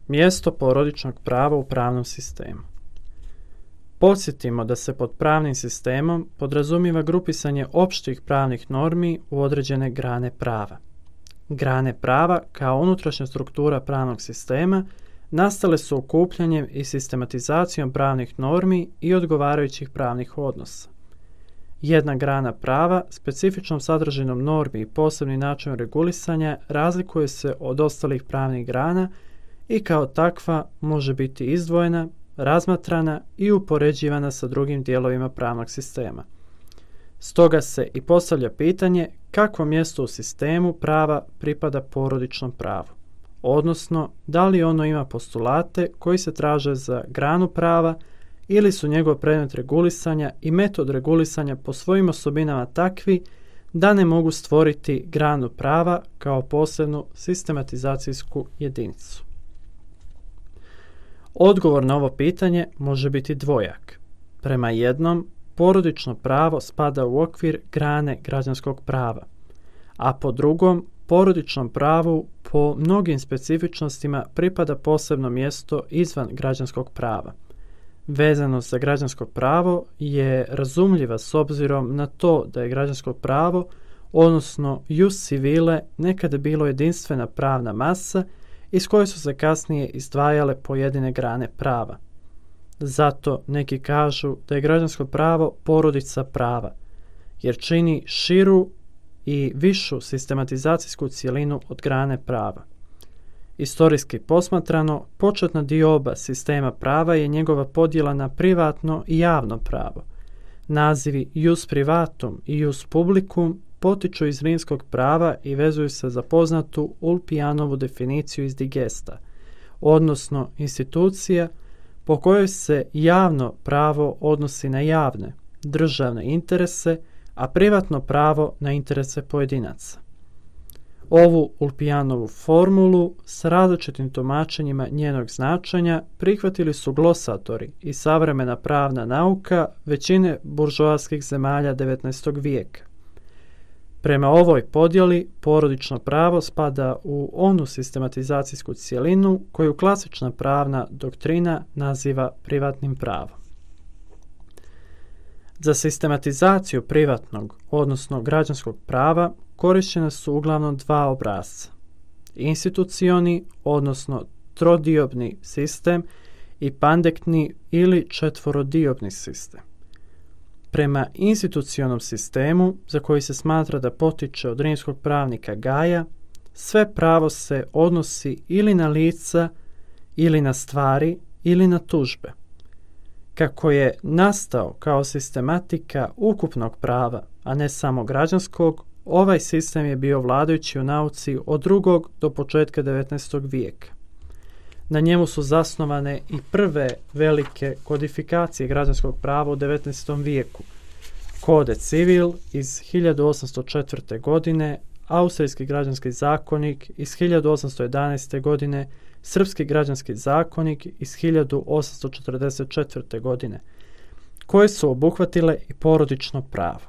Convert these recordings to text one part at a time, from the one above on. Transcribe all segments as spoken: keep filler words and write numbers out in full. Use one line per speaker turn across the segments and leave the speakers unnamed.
Mjesto porodičnog prava u pravnom sistemu. Podsjetimo da se pod pravnim sistemom podrazumijeva grupisanje opštih pravnih normi u određene grane prava. Grane prava kao unutrašnja struktura pravnog sistema nastale su okupljanjem i sistematizacijom pravnih normi i odgovarajućih pravnih odnosa. Jedna grana prava specifičnom sadržinom normi i posebnim načinom regulisanja razlikuje se od ostalih pravnih grana i kao takva može biti izdvojena, razmatrana i upoređivana sa drugim dijelovima pravnog sistema. Stoga se i postavlja pitanje kakvo mjesto u sistemu prava pripada porodičnom pravu, odnosno da li ono ima postulate koji se traže za granu prava ili su njegov predmet regulisanja i metod regulisanja po svojim osobinama takvi da ne mogu stvoriti granu prava kao posebnu sistematizacijsku jedinicu. Odgovor na ovo pitanje može biti dvojak. Prema jednom, porodično pravo spada u okvir grane građanskog prava, a po drugom, porodičnom pravu po mnogim specifičnostima pripada posebno mjesto izvan građanskog prava. Vezanost za građansko pravo je razumljiva s obzirom na to da je građansko pravo, odnosno jus civile, nekada bilo jedinstvena pravna masa iz koje su se kasnije izdvajale pojedine grane prava. Zato neki kažu da je građansko pravo porodica prava, jer čini širu i višu sistematizacijsku cjelinu od grane prava. Istorijski posmatrano, početna dioba sistema prava je njegova podjela na privatno i javno pravo. Nazivi jus privatum i jus publicum potiču iz rimskog prava i vezuju se za poznatu Ulpijanovu definiciju iz Digesta, odnosno institucija po kojoj se javno pravo odnosi na javne, državne interese, a privatno pravo na interese pojedinaca. Ovu Ulpijanovu formulu s različitim tumačenjima njenog značenja prihvatili su glosatori i savremena pravna nauka većine buržoaskih zemalja devetnaestog vijeka. Prema ovoj podjeli, porodično pravo spada u onu sistematizacijsku cjelinu koju klasična pravna doktrina naziva privatnim pravom. Za sistematizaciju privatnog, odnosno građanskog prava, korištena su uglavnom dva obrasca. Institucioni, odnosno trodiobni sistem i pandektni ili četvorodiobni sistem. Prema institucionom sistemu, za koji se smatra da potiče od rimskog pravnika Gaja, sve pravo se odnosi ili na lica, ili na stvari, ili na tužbe. Kako je nastao kao sistematika ukupnog prava, a ne samo građanskog, ovaj sistem je bio vladajući u nauci od drugog do početka devetnaestog vijeka. Na njemu su zasnovane i prve velike kodifikacije građanskog prava u devetnaestom vijeku. Code civil iz hiljadu osamsto četvrte. godine, Austrijski građanski zakonik iz hiljadu osamsto jedanaeste. godine, Srpski građanski zakonik iz hiljadu osamsto četrdeset četvrte. godine, koje su obuhvatile i porodično pravo.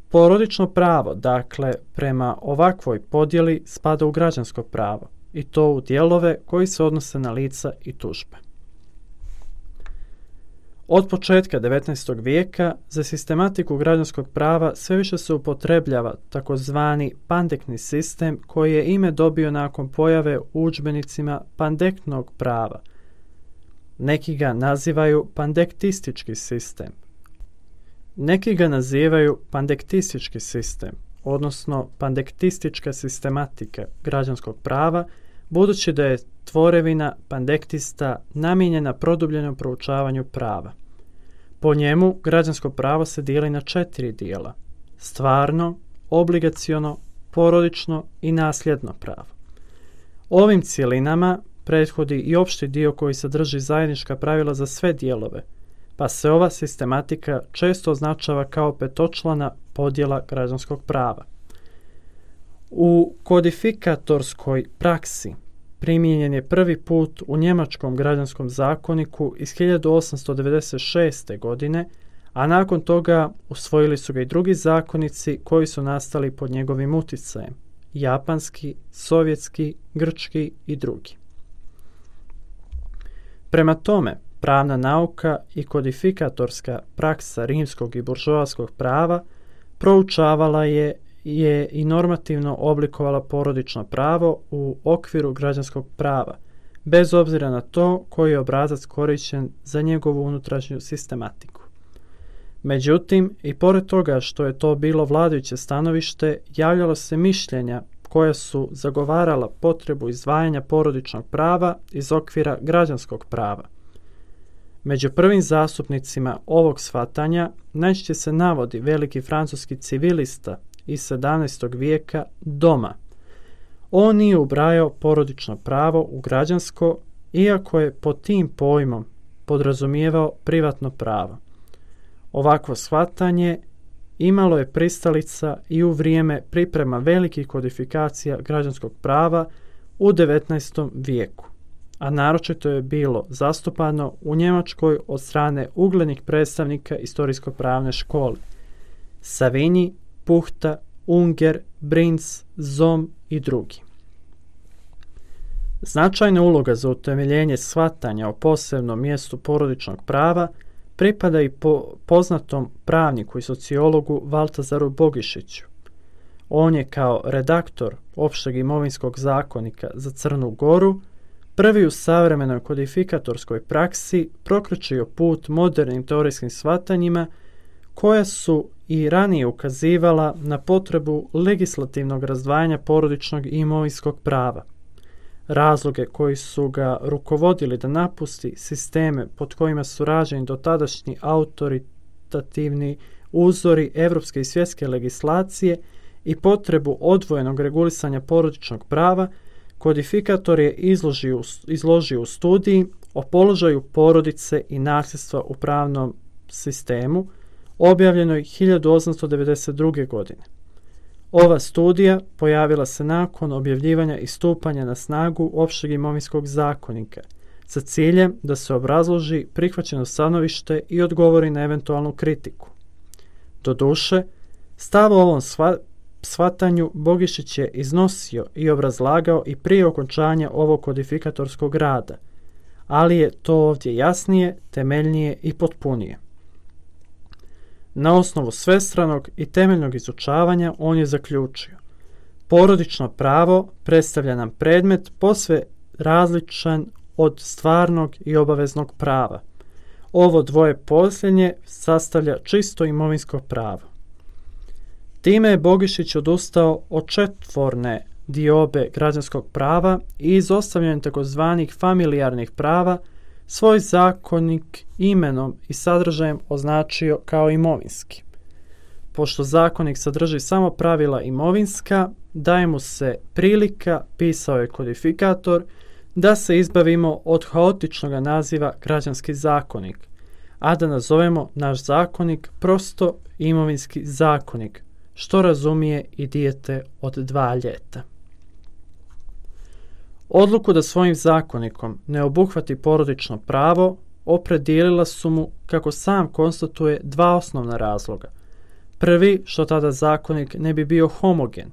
Porodično pravo, dakle, prema ovakvoj podjeli spada u građansko pravo, i to u dijelove koji se odnose na lica i tužbe. Od početka devetnaestog vijeka za sistematiku građanskog prava sve više se upotrebljava takozvani pandektni sistem koji je ime dobio nakon pojave u udžbenicima pandektnog prava. Neki ga nazivaju pandektistički sistem. Neki ga nazivaju pandektistički sistem, odnosno pandektistička sistematika građanskog prava, budući da je tvorevina pandektista namijenjena produbljenom proučavanju prava. Po njemu građansko pravo se dijeli na četiri dijela: stvarno, obligaciono, porodično i nasljedno pravo. Ovim cjelinama prethodi i opšti dio koji sadrži zajednička pravila za sve dijelove, pa se ova sistematika često označava kao petočlana podjela građanskog prava. U kodifikatorskoj praksi primijenjen je prvi put u njemačkom građanskom zakoniku iz hiljadu osamsto devedeset šeste. godine, a nakon toga usvojili su ga i drugi zakonici koji su nastali pod njegovim uticajem: japanski, sovjetski, grčki i drugi. Prema tome, pravna nauka i kodifikatorska praksa rimskog i buržoaskog prava proučavala je, je i normativno oblikovala porodično pravo u okviru građanskog prava, bez obzira na to koji je obrazac korišten za njegovu unutrašnju sistematiku. Međutim, i pored toga što je to bilo vladajuće stanovište, javljalo se mišljenja koja su zagovarala potrebu izdvajanja porodičnog prava iz okvira građanskog prava. Među prvim zastupnicima ovog shvatanja najčešće se navodi veliki francuski civilista iz sedamnaestog vijeka Doma. On nije ubrajao porodično pravo u građansko, iako je pod tim pojmom podrazumijevao privatno pravo. Ovakvo shvatanje imalo je pristalica i u vrijeme priprema velikih kodifikacija građanskog prava u devetnaestom vijeku, a naročito je bilo zastupano u Njemačkoj od strane uglednih predstavnika istorijsko-pravne škole Savigny, Puchta, Unger, Brinz, Zom i drugi. Značajna uloga za utemeljenje shvatanja o posebnom mjestu porodičnog prava pripada i po poznatom pravniku i sociologu Valtazaru Bogišiću. On je kao redaktor opšteg imovinskog zakonika za Crnu Goru prvi u savremenoj kodifikatorskoj praksi prokročio put modernim teorijskim shvatanjima koja su i ranije ukazivala na potrebu legislativnog razdvajanja porodičnog i imovinskog prava. Razloge koji su ga rukovodili da napusti sisteme pod kojima su rađeni dotadašnji autoritativni uzori evropske i svjetske legislacije i potrebu odvojenog regulisanja porodičnog prava, kodifikator je izložio, izložio u studiji o položaju porodice i nasljedstva u pravnom sistemu, objavljenoj hiljadu osamsto devedeset druge. godine. Ova studija pojavila se nakon objavljivanja i stupanja na snagu opšteg imovinskog zakonika sa ciljem da se obrazloži prihvaćeno stanovište i odgovori na eventualnu kritiku. Doduše, stav o ovom shvatanju Bogišić je iznosio i obrazlagao i prije okončanja ovog kodifikatorskog rada, ali je to ovdje jasnije, temeljnije i potpunije. Na osnovu svestranog i temeljnog izučavanja on je zaključio: porodično pravo predstavlja nam predmet posve različan od stvarnog i obaveznog prava. Ovo dvoje posljednje sastavlja čisto imovinsko pravo. Time je Bogišić odustao od četvorne diobe građanskog prava i izostavljanjem takozvanih familijarnih prava svoj zakonik imenom i sadržajem označio kao imovinski. Pošto zakonik sadrži samo pravila imovinska, daje mu se prilika, pisao je kodifikator, da se izbavimo od haotičnog naziva građanski zakonik, a da nazovemo naš zakonik prosto imovinski zakonik, što razumije i dijete od dva ljeta. Odluku da svojim zakonikom ne obuhvati porodično pravo opredijelila su mu, kako sam konstatuje, dva osnovna razloga. Prvi, što tada zakonik ne bi bio homogen,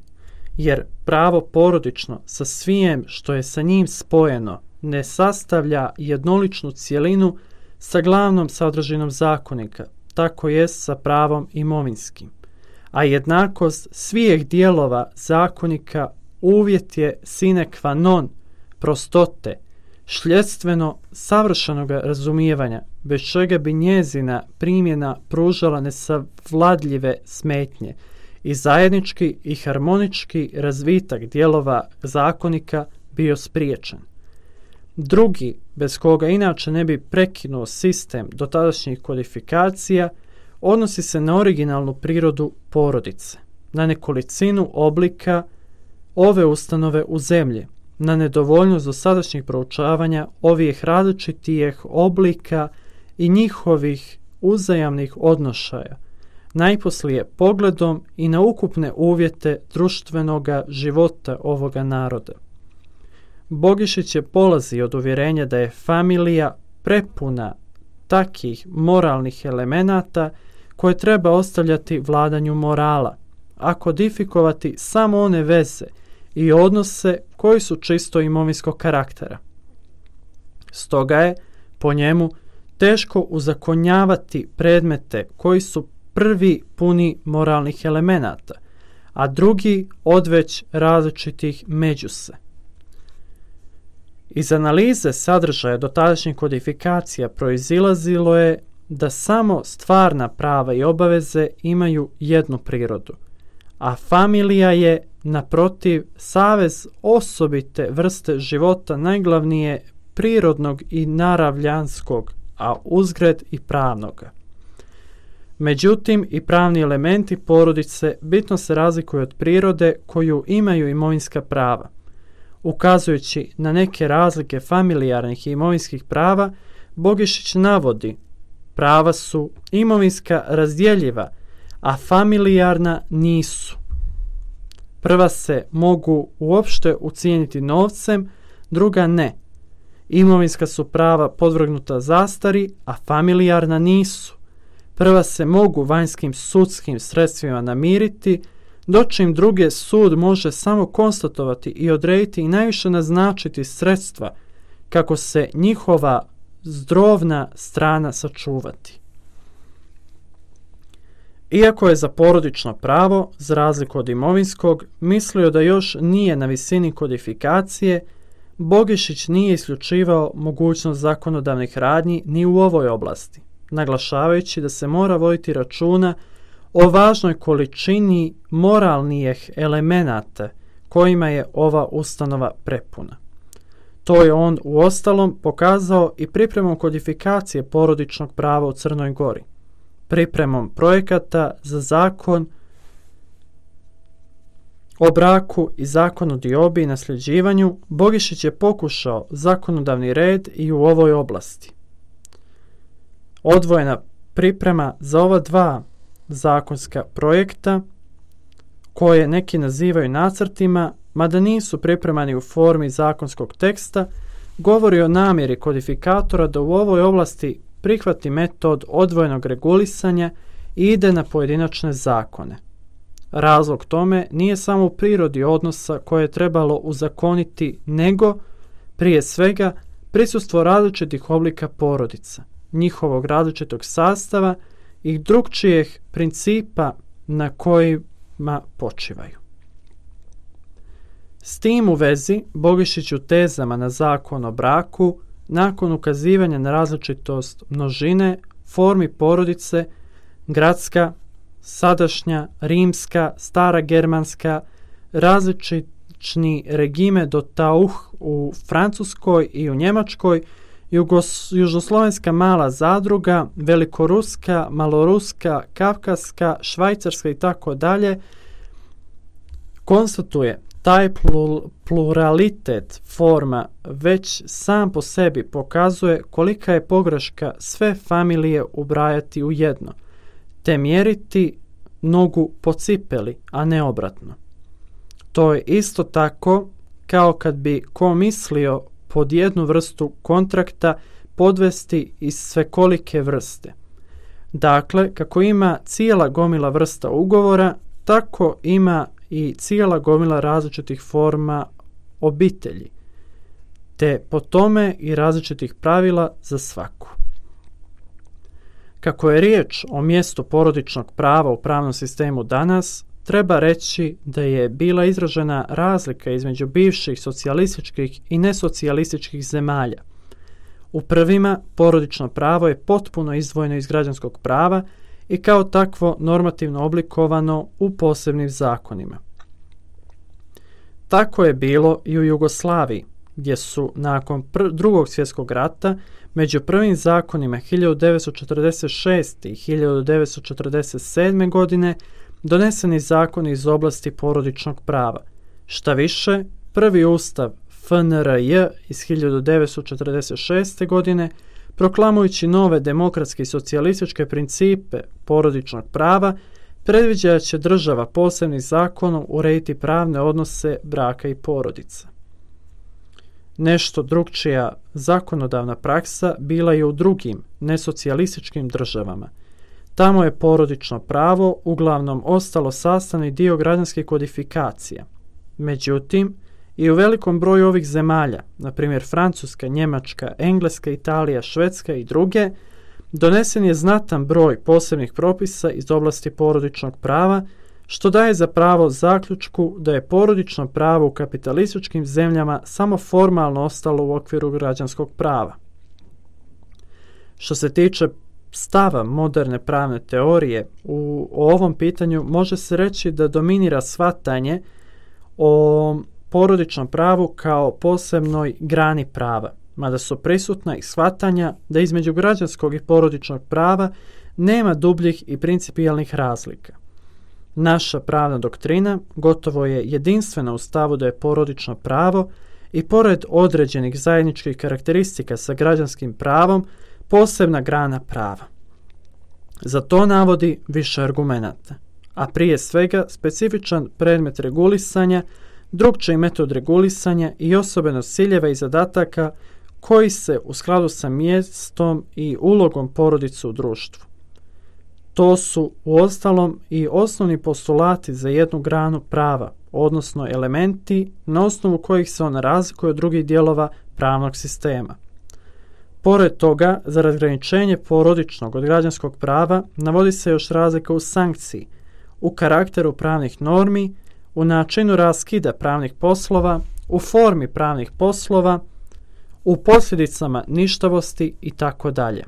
jer pravo porodično sa svijem što je sa njim spojeno ne sastavlja jednoličnu cjelinu sa glavnom sadržinom zakonika, tako jest sa pravom imovinskim. A jednakost svih dijelova zakonika uvjet je sine qua non prostote, šljedstveno savršenog razumijevanja, bez čega bi njezina primjena pružala nesavladljive smetnje i zajednički i harmonički razvitak dijelova zakonika bio spriječen. Drugi, bez koga inače ne bi prekinuo sistem dotadašnjih kodifikacija, odnosi se na originalnu prirodu porodice, na nekolicinu oblika ove ustanove u zemlji, na nedovoljnost dosadašnjih proučavanja ovih različitijih oblika i njihovih uzajamnih odnošaja, najposlije pogledom i na ukupne uvjete društvenog života ovoga naroda. Bogišić je polazi od uvjerenja da je familija prepuna takih moralnih elemenata koje treba ostavljati vladanju morala, a kodifikovati samo one veze i odnose koji su čisto imovinskog karaktera. Stoga je po njemu teško uzakonjavati predmete koji su prvi puni moralnih elemenata, a drugi odveć različitih međuse. Iz analize sadržaja dotadašnjih kodifikacija proizilazilo je da samo stvarna prava i obaveze imaju jednu prirodu, a familija je, naprotiv, savez osobite vrste života najglavnije prirodnog i naravljanskog, a uzgred i pravnoga. Međutim, i pravni elementi porodice bitno se razlikuju od prirode koju imaju imovinska prava. Ukazujući na neke razlike familijarnih i imovinskih prava, Bogišić navodi: prava su imovinska razdjeljiva, a familijarna nisu. Prva se mogu uopšte ucijeniti novcem, druga ne. Imovinska su prava podvrgnuta zastari, a familijarna nisu. Prva se mogu vanjskim sudskim sredstvima namiriti, dočim druge sud može samo konstatovati i odrediti i najviše naznačiti sredstva kako se njihova zdrovna strana sačuvati. Iako je za porodično pravo, za razliku od imovinskog, mislio da još nije na visini kodifikacije, Bogišić nije isključivao mogućnost zakonodavnih radnji ni u ovoj oblasti, naglašavajući da se mora voditi računa o važnoj količini moralnijih elemenata kojima je ova ustanova prepuna. To je on uostalom pokazao i pripremom kodifikacije porodičnog prava u Crnoj Gori, pripremom projekata za zakon o braku i zakon o diobi i nasljeđivanju. Bogišić je pokušao zakonodavni red i u ovoj oblasti. Odvojena priprema za ova dva zakonska projekta, koje neki nazivaju nacrtima, mada nisu pripremani u formi zakonskog teksta, govori o namjeri kodifikatora da u ovoj oblasti prihvati metod odvojenog regulisanja i ide na pojedinačne zakone. Razlog tome nije samo u prirodi odnosa koje je trebalo uzakoniti, nego, prije svega, prisustvo različitih oblika porodica, njihovog različitog sastava i drugčijih principa na kojima počivaju. S tim u vezi, Bogišić u tezama na zakon o braku, nakon ukazivanja na različitost množine, formi porodice, gradska, sadašnja, rimska, stara germanska, različitni regime do tauh u Francuskoj i u Njemačkoj, Jugos, južnoslovenska mala zadruga, velikoruska, maloruska, kavkaska, švajcarska i tako dalje, konstatuje taj pluralitet forma već sam po sebi pokazuje kolika je pogreška sve familije ubrajati u jedno, te mjeriti nogu po cipeli, a ne obratno. To je isto tako kao kad bi ko mislio pod jednu vrstu kontrakta podvesti iz svekolike vrste. Dakle, kako ima cijela gomila vrsta ugovora, tako ima i cijela gomila različitih forma obitelji, te po tome i različitih pravila za svaku. Kako je riječ o mjestu porodičnog prava u pravnom sistemu danas, treba reći da je bila izražena razlika između bivših socijalističkih i nesocijalističkih zemalja. U prvima porodično pravo je potpuno izdvojeno iz građanskog prava i kao takvo normativno oblikovano u posebnim zakonima. Tako je bilo i u Jugoslaviji, gdje su nakon pr- drugog svjetskog rata među prvim zakonima hiljadu devetsto četrdeset šeste. i hiljadu devetsto četrdeset sedme. godine doneseni zakoni iz oblasti porodičnog prava. Šta više, prvi ustav F N R J iz hiljadu devetsto četrdeset šeste. godine, proklamujući nove demokratske i socijalističke principe porodičnog prava, predviđa da će država posebnim zakonom urediti pravne odnose braka i porodice. Nešto drugčija zakonodavna praksa bila je u drugim nesocijalističkim državama. Tamo je porodično pravo uglavnom ostalo sastavni dio građanskih kodifikacija. Međutim, I u velikom broju ovih zemalja, na primjer Francuska, Njemačka, Engleska, Italija, Švedska i druge, donesen je znatan broj posebnih propisa iz oblasti porodičnog prava, što daje za pravo zaključku da je porodično pravo u kapitalističkim zemljama samo formalno ostalo u okviru građanskog prava. Što se tiče stava moderne pravne teorije, u ovom pitanju može se reći da dominira shvatanje o porodičnom pravu kao posebnoj grani prava, mada su prisutna i shvatanja da između građanskog i porodičnog prava nema dubljih i principijelnih razlika. Naša pravna doktrina gotovo je jedinstvena u stavu da je porodično pravo i pored određenih zajedničkih karakteristika sa građanskim pravom posebna grana prava. Za to navodi više argumenata, a prije svega specifičan predmet regulisanja, drukčiji metod regulisanja i osobenost ciljeva i zadataka koji se u skladu sa mjestom i ulogom porodice u društvu. To su uostalom i osnovni postulati za jednu granu prava, odnosno elementi na osnovu kojih se ona razlikuje od drugih dijelova pravnog sistema. Pored toga, za razgraničenje porodičnog od građanskog prava navodi se još razlika u sankciji, u karakteru pravnih normi, u načinu raskida pravnih poslova, u formi pravnih poslova, u posljedicama ništavosti i tako dalje,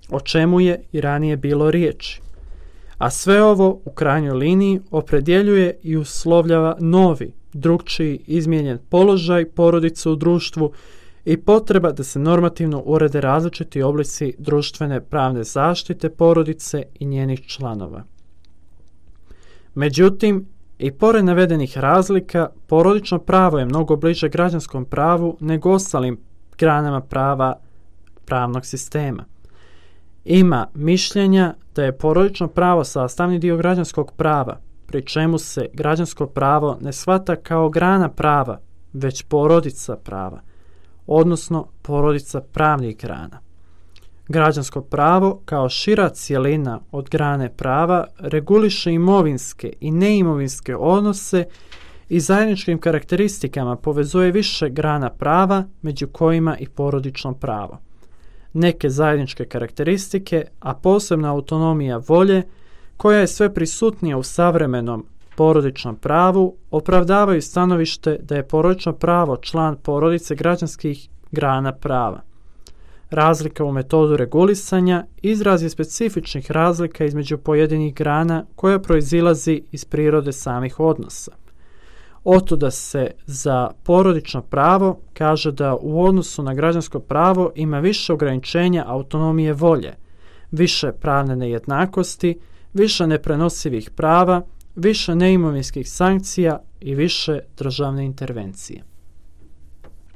o čemu je i ranije bilo riječi. A sve ovo u krajnjoj liniji opredjeljuje i uslovljava novi, drukčiji, izmijenjen položaj porodice u društvu i potreba da se normativno urede različiti oblici društvene pravne zaštite porodice i njenih članova. Međutim, i pored navedenih razlika, porodično pravo je mnogo bliže građanskom pravu nego ostalim granama prava pravnog sistema. Ima mišljenja da je porodično pravo sastavni dio građanskog prava, pri čemu se građansko pravo ne shvata kao grana prava, već porodica prava, odnosno porodica pravnih grana. Građansko pravo, kao šira cjelina od grane prava, reguliše imovinske i neimovinske odnose i zajedničkim karakteristikama povezuje više grana prava, među kojima i porodično pravo. Neke zajedničke karakteristike, a posebna autonomija volje, koja je sve prisutnija u savremenom porodičnom pravu, opravdavaju stanovište da je porodično pravo član porodice građanskih grana prava. Razlika u metodu regulisanja izraz je specifičnih razlika između pojedinih grana koja proizilazi iz prirode samih odnosa. Otuda se za porodično pravo kaže da u odnosu na građansko pravo ima više ograničenja autonomije volje, više pravne nejednakosti, više neprenosivih prava, više neimovinskih sankcija i više državne intervencije.